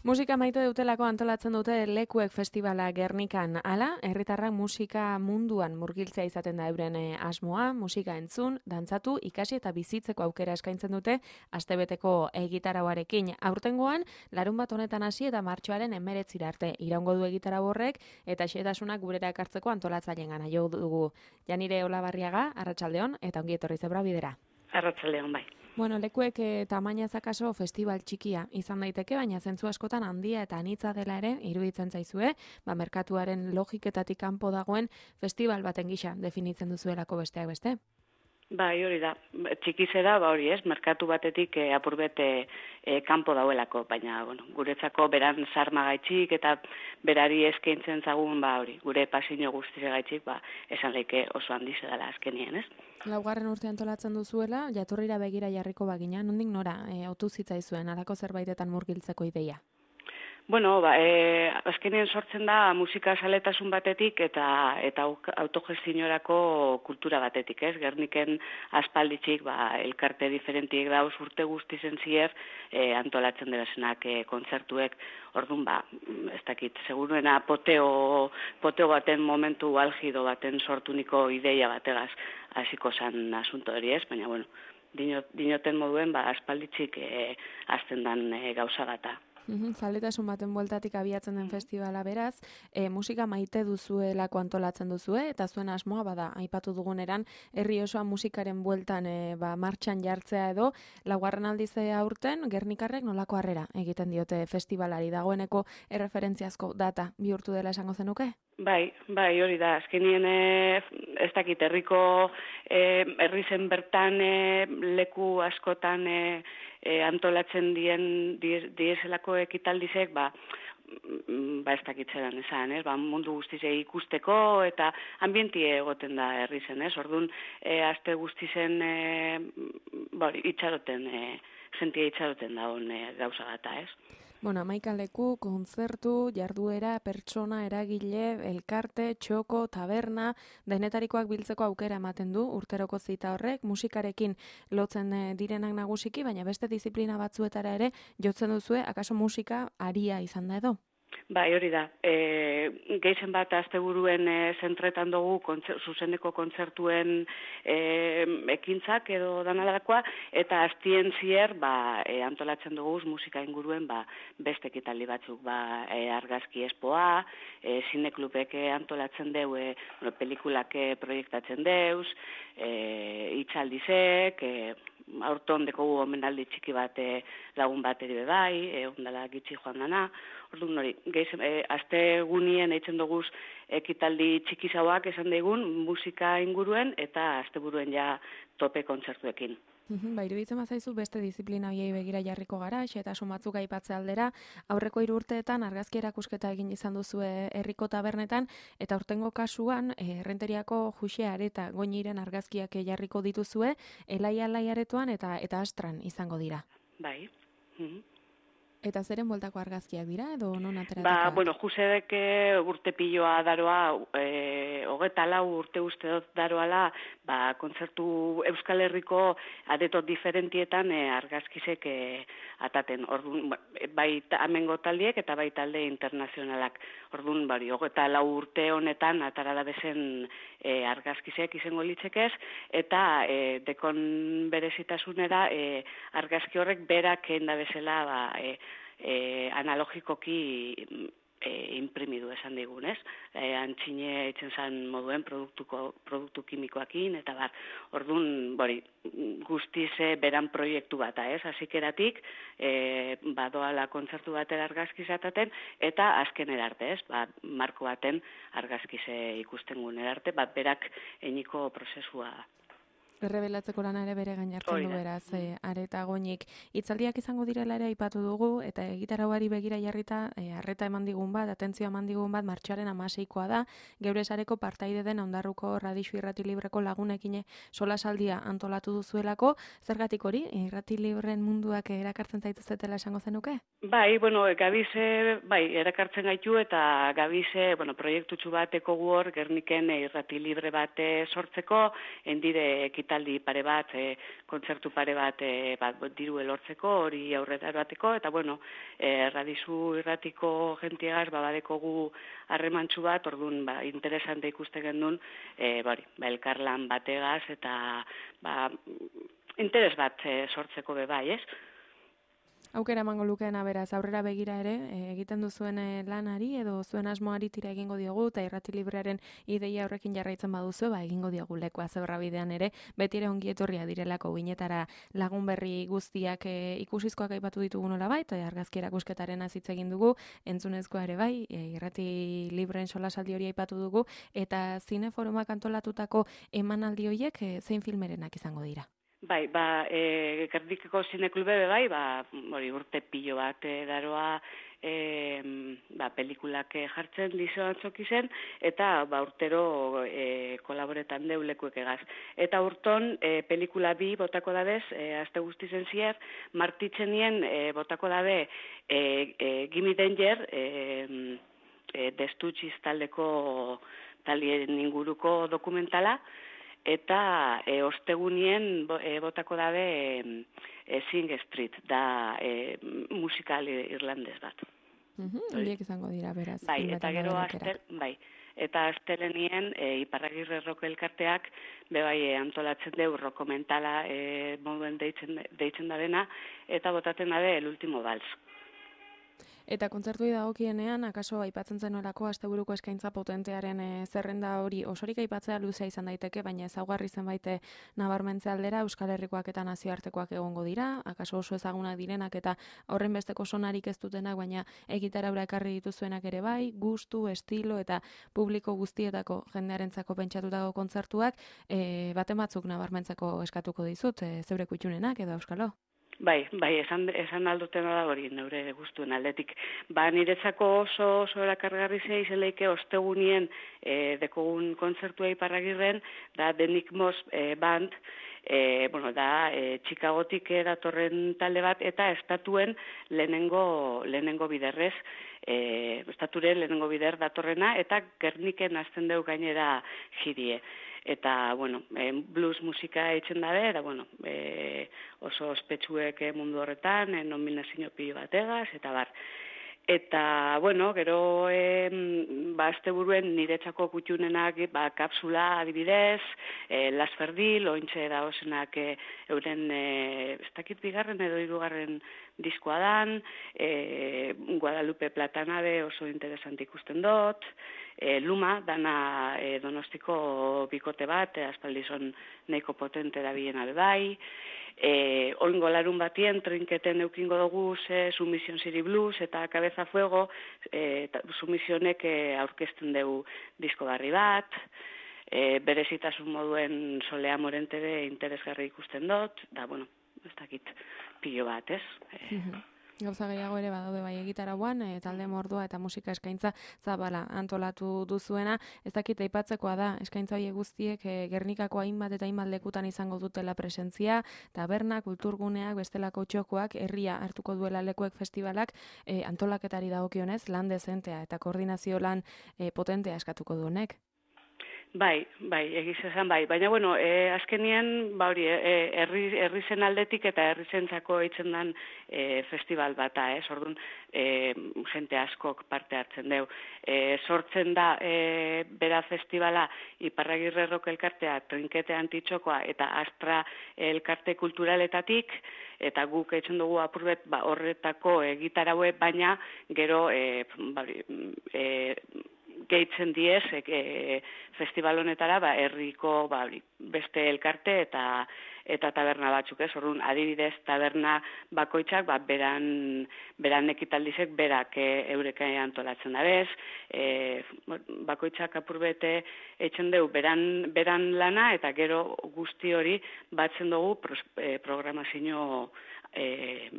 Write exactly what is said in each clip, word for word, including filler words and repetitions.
Musika maite dutelako antolatzen dute Lekuek Festivala Gernikan. Hala, herritarrak musika munduan murgiltzea izaten da euren asmoa, musika entzun, dantzatu, ikasi eta bizitzeko aukera eskaintzen dute astebeteko egitarauarekin. Aurtengoan, larun bat honetan hasi eta martxoaren hemeretzira arte iraungo du egitarau horrek eta xehetasunak gurera ekartzeko antolatzaileengana jo dugu. Janire Olabarriaga, arratsaldeon eta ongi etorri zebra bidera. Arratsaldeon bai. Bueno, Lekuek eh, tamainaz akaso festival txikia izan daiteke, baina zentzu askotan handia eta anitza dela ere iruditzen zaizue, ba merkatuaren logiketatik kanpo dagoen festival baten gisa definitzen duzuelako besteak beste. Bai, hori da. Txiki zera, ba hori ez, merkatu batetik e, apurbet e, e, kanpo dauelako, baina bueno, guretzako beran sarmagaitxik eta berari eskaintzen zagun, ba hori, gure pasio guztisegaitxik, ba esan leike oso handi zedala azkenien, ez? Laugarren urte antolatzen duzuela, jatorrira begira jarriko bagina, nondik nora e, otu zitzaizuen halako zerbaitetan murgiltzeko ideia? Bueno, ba, e, azkenean sortzen da musika saletasun batetik eta eta autogestionorako kultura batetik, ez? Gerniken aspalditxik, ba, elkarte diferentiek dauz urte guztizen zier e, antolatzen dirazenak e, kontzertuek, orduan, ba, ez dakit, seguruena poteo, poteo baten momentu algido baten sortuniko ideia bategaz hasiko zan asunto hori, ez? Baina, bueno, dinot, dinoten moduen, ba, aspalditxik e, azten dan e, gauza bata. Zaletasun baten bueltatik abiatzen den festivala beraz, e, musika maite duzuelako antolatzen duzue, eta zuen asmoa bada, aipatu duguneran, herri osoa musikaren bueltan e, ba, martxan jartzea edo, laugarren aldize aurten, Gernikarrek nolako harrera egiten diote festivalari, dagoeneko erreferentziazko data bihurtu dela esango zenuke? Bai, bai, hori da, azkenien e, ez dakit, herriko e, herri zen bertan e, leku askotan e, e, antolatzen dien dieselako ekitaldizek, ba, ba ez dakitzeran esan, ez? Ba, mundu guztize ikusteko eta ambientie egoten da herri zen, ez? Orduan, e, aste guztizen e, ba, itxaroten, e, jentia itxaroten da hon e, gauza gata, ez? Bueno, hamaika leku, kontzertu, jarduera, pertsona, eragile, elkarte, txoko, taberna, denetarikoak biltzeko aukera ematen du urteroko zita horrek, musikarekin lotzen direnak nagusiki, baina beste disiplina batzuetara ere jotzen duzue, akaso musika aria izan da edo? Bai, hori da. E, Geizen bat asteburuen e, zentretan dugu kontzer, zuzeneko kontzertuen e, ekintzak edo danalakoa, eta astien zier ba, e, antolatzen dugu musika inguruen ba, beste ekitaldi batzuk, ba, e, argazki espoa, e, zineklubek antolatzen deu, e, bueno, pelikulak proiektatzen deuz, e, itxaldizek, e, aurton dekogu omenaldi txiki bat e, lagun bat ere bai, e, ondala gitxi joan dana. Orduan hori, geiz, e, aste gunien eitzen duguz ekitaldi txiki zauak esan daigun musika inguruen eta asteburuen ja tope kontzertuekin. Ba, iruditzen bazaizu beste disiplina hoiei begira jarriko gara, xehetasun batzuk aipatze aldera, aurreko hiru urteetan argazki erakusketa egin izan duzue herriko tabernetan, eta aurtengo kasuan, errenteriako Juxe Areta Goñiren argazkiak jarriko dituzue, Elaia Alai aretoan eta eta Astran izango dira. Bai. Mhm. Eta zeren bueltako argazkiak dira, edo non ateratakoak? Ba, bueno, Jusedek urte piloa daroa, e, hogeta lau urte uste dut daroala, ba, kontzertu Euskal Herriko adetot diferentietan e, argazkizek e, ataten. Orduan, bai amengo taldiek eta bai talde internazionalak. Orduan, bari, hogeta lau urte honetan atarala bezen e, argazkizek izango litzekez, eta e, dekon berezitasunera e, argazki horrek berak enda bezala, ba, e, E, analogikoki e, imprimidu esan digun, ez? E, antxine itzen zan moduen produktuko, produktu kimikoakin, eta bar, orduan, bori, guztiz beran proiektu bata, ez? Azikeratik, e, badoala kontzertu batera argazkizataten, eta azken erarte, ez? Ba, marko baten argazkize ikusten guen erarte, bat berak eniko prozesua Errebelatzeko lana ere bere gain hartzen du beraz, e, Areta Goñik. Hitzaldiak izango direla ere aipatu dugu, eta egitarauari begira jarrita, e, arreta eman digun bat, atentzioa eman digun bat, martxoaren hamaseikoa da, geure sareko partaide den Ondarruko Radixu Irrati Libreko lagunekin solasaldia antolatu duzuelako, zergatik hori, Irrati Libren munduak erakartzen zaituztetela esango zenuke? Bai, bueno, gabize, bai, erakartzen gaitu, eta gabize, bueno, proiektutxu bateko guor, Gerniken Irrati Libre bat sortzeko, endire ekitaldi pare bat, e, kontzertu pare bat, e, bat diru elortzeko, hori aurrera erateko, eta bueno, e, Radizu irratiko jentiagaz, ba, badekogu harremantxu bat, orduan, ba, interesante ikuste gendun, e, bari, ba, elkarlan bategaz, eta, ba, interes bat e, sortzeko be bai, ez? Aukera emango lukeena beraz, aurrera begira ere, e, egiten duzuen e, lanari edo zuen asmoari tira egingo diogu, eta Irrati Librearen ideia horrekin jarraitzen baduzu, ba, egingo diogu lekoa zebra bidean ere, beti ere ongi etorria direlako binetara lagun berri guztiak e, ikusizkoak aipatu ditugu nola bai, eta argazki erakusketaren azitze egin dugu, entzunezkoa ere bai, e, Irrati Libreen solasaldi hori aipatu dugu, eta zineforumak antolatutako emanaldi horiek e, zein filmerenak izango dira? Bai, ba, e, Gernikako zineklube be bai, ba, hori urte pilo bat e, daroa e, ba, pelikulak jartzen lizo antzok izen, eta ba, urtero e, kolaboretan deulekuek egaz. Eta urton e, pelikula bi botako dabez, e, azte guztizen zier, martitzenien e, botako dabe e, e, Gimme Danger, e, e, destutxiz taldeko talien inguruko dokumentala, eta e, ostegunien e, botako dabe e, Sing Street, da e, musikal irlandez bat. Horiek izango dira, beraz. Bai, eta gero astel, bai, eta astelenien e, Iparragirre Rock elkarteak bebai e, antolatzen deu rokomentala e, moduen deitzen, deitzen dabena, eta botaten dabe El Último Vals. Eta kontzertuei dagokienean, akaso aipatzen zenuelako asteburuko eskaintza potentearen e, zerrenda hori osorik aipatzea luzea izan daiteke, baina ezaugarri zenbait nabarmentze aldera Euskal Herrikoak eta nazioartekoak egongo dira, akaso oso ezagunak direnak eta horren besteko sonarik ez dutenak, baina egitaraura ekarri dituzuenak ere bai, gustu, estilo eta publiko guztietako jendearentzako pentsatutako kontzertuak, e, baten batzuk nabarmentzeko eskatuko dizut, e, zeure kutxunenak edo Euskalo? Bai, bai, esan, esan aldutena da hori, neure guztuen aldetik. Ba, niretzako oso, oso erakargarri zei izeleike ostegunien e, dekogun kontzertua Iparragirren, da The Nick Moss e, Band, e, bueno, da e, Chicagotik datorren talde bat, eta estatuen lehenengo, lehenengo biderrez, e, estaturen lehenengo bider datorrena, eta Gerniken azten deu gainera jirie. Eta, bueno, blues musika eitzen dabe, eta, bueno, e, oso ospetsuek mundu horretan, e, nominazio pilo bategaz, eta bar. Eta, bueno, gero, e, ba, asteburuen niretzako kutxunenak, ba, kapsula adibidez, e, Las Ferdil, ointxe da osenak e, euren, e, ez dakit bigarren edo hirugarren diskoa dan, e, Guadalupe Platanabe oso interesant ikusten dut, e, Luma, dana e, Donostiko bikote bat, e, aspaldizon nahiko potente da biena bebai, e, oingo larun batien, trinketen eukingo dugu ze Submission City Blues eta Cabeza Fuego, e, Submissionek e, aurkezten dugu disko barri bat, e, berezitasun moduen Solea Morentere interesgarri ikusten dut, da, bueno, ez dakit pilo bat, ez? E, Gauza gehiago ere badaude bai egitarauan, e, talde mordoa eta musika eskaintza zabala antolatu duzuena. Ez dakit aipatzekoa da, eskaintza horiek guztiek e, Gernikako hainbat eta hainbat lekutan izango dutela presentzia, taberna, kulturguneak, bestelako txokoak, herria hartuko duela lekuek festivalak, e, antolaketari dagokionez lan dezentea eta koordinazio lan e, potentea eskatuko du honek. Bai, bai, egiz esan bai. Baina, bueno, e, azkenien, ba hori, e, herri, herri zen aldetik eta herri zentzako eitzen dan e, festival bata, ez? Orduan, e, jente askok parte hartzen deu. E, sortzen da, e, bera festivala, Iparragirre Rock elkartea, Trinkete Antitxokoa eta Astra elkarte kulturaletatik, eta guk eitzen dugu apurbet ba, horretako egitaraue, baina gero, e, ba, e, gehitzen diez e, festival honetara ba, herriko ba, beste elkarte eta eta taberna batzuk, ez? Orduan, adibidez, taberna bakoitzak, ba, beran, beran ekitaldizek berak e, eureka antolatzen da bez, e, bakoitzak apurbete eitzen dugu beran, beran lana, eta gero guzti hori batzen dugu pros, e, programazio e,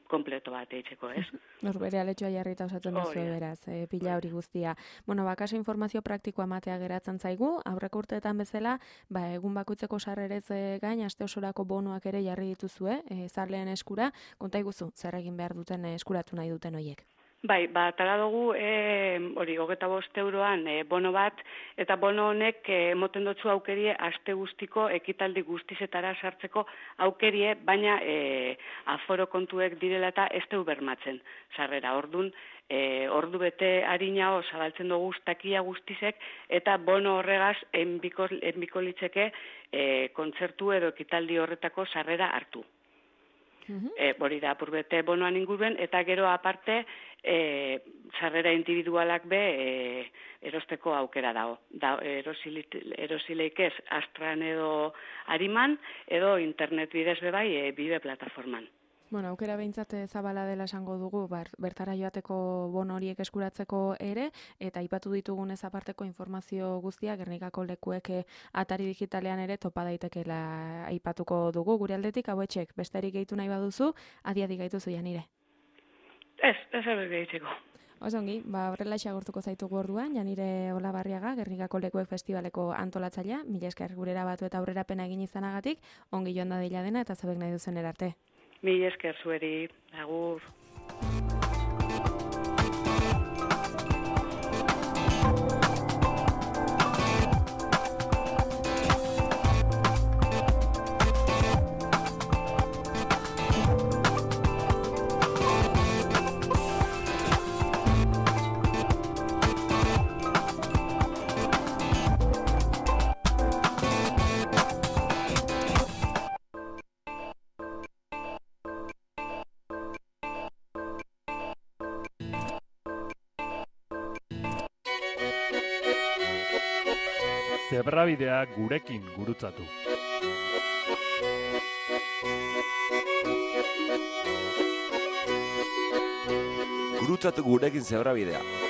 kompleto bat eitzeko, ez? Norbere aletxoa jarrita osatzen duzu beraz, e, pila hori guztia. Bueno, bakaso informazio praktikoa matea geratzen zaigu, aurreko urteetan bezala, ba, egun bakoitzeko sarrerez gain, aste osorako bonuak ere jarri dituzue, e, zarleen eskura, konta iguzu, zer egin behar duten eskuratu nahi duten hoiek. Bai, ba, tala dugu, e, hori, hogeta bost euroan e, bono bat, eta bono honek e, emoten dutzu aukerie aste guztiko ekitaldi guztizetara sartzeko aukerie, baina e, aforo kontuek direla eta ez deu bermatzen, sarrera, ordun, e, ordu bete harinao zabaltzen dugu takia guztizek, eta bono horregaz enbiko, enbiko litzeke e, kontzertu edo ekitaldi horretako sarrera hartu. E, hori da, apurbete bonoan inguruen, eta gero aparte, e, sarrera individualak be e, erosteko aukera dago. Da, erosileik ez, Astran edo Ariman, edo internet bidez be bai, e, bide plataforman. Bueno, aukera behintzat zabala dela esango dugu, bar, bertara joateko bono horiek eskuratzeko ere, eta aipatu ditugun ez aparteko informazio guztia, Gernikako lekuek atari digitalean ere topa daitekeela aipatuko dugu. Gure aldetik, hauetxek, besterik gehitu nahi baduzu, adiadi gaituzu Janire. Ez, ez hori gehitzeko. Osongi, ba, horrela xagortuko zaitugu orduan, Janire Olabarriaga, Gernikako Lekuek Festivaleko antolatzailea, mila esker gurera batu eta aurrerapena egin izanagatik, ongi joan da dela dena eta zabek nahi duzen erarte. Mila esker zueri, agur. Zebrabidea gurekin gurutzatu. Gurutzatu gurekin zebrabidea.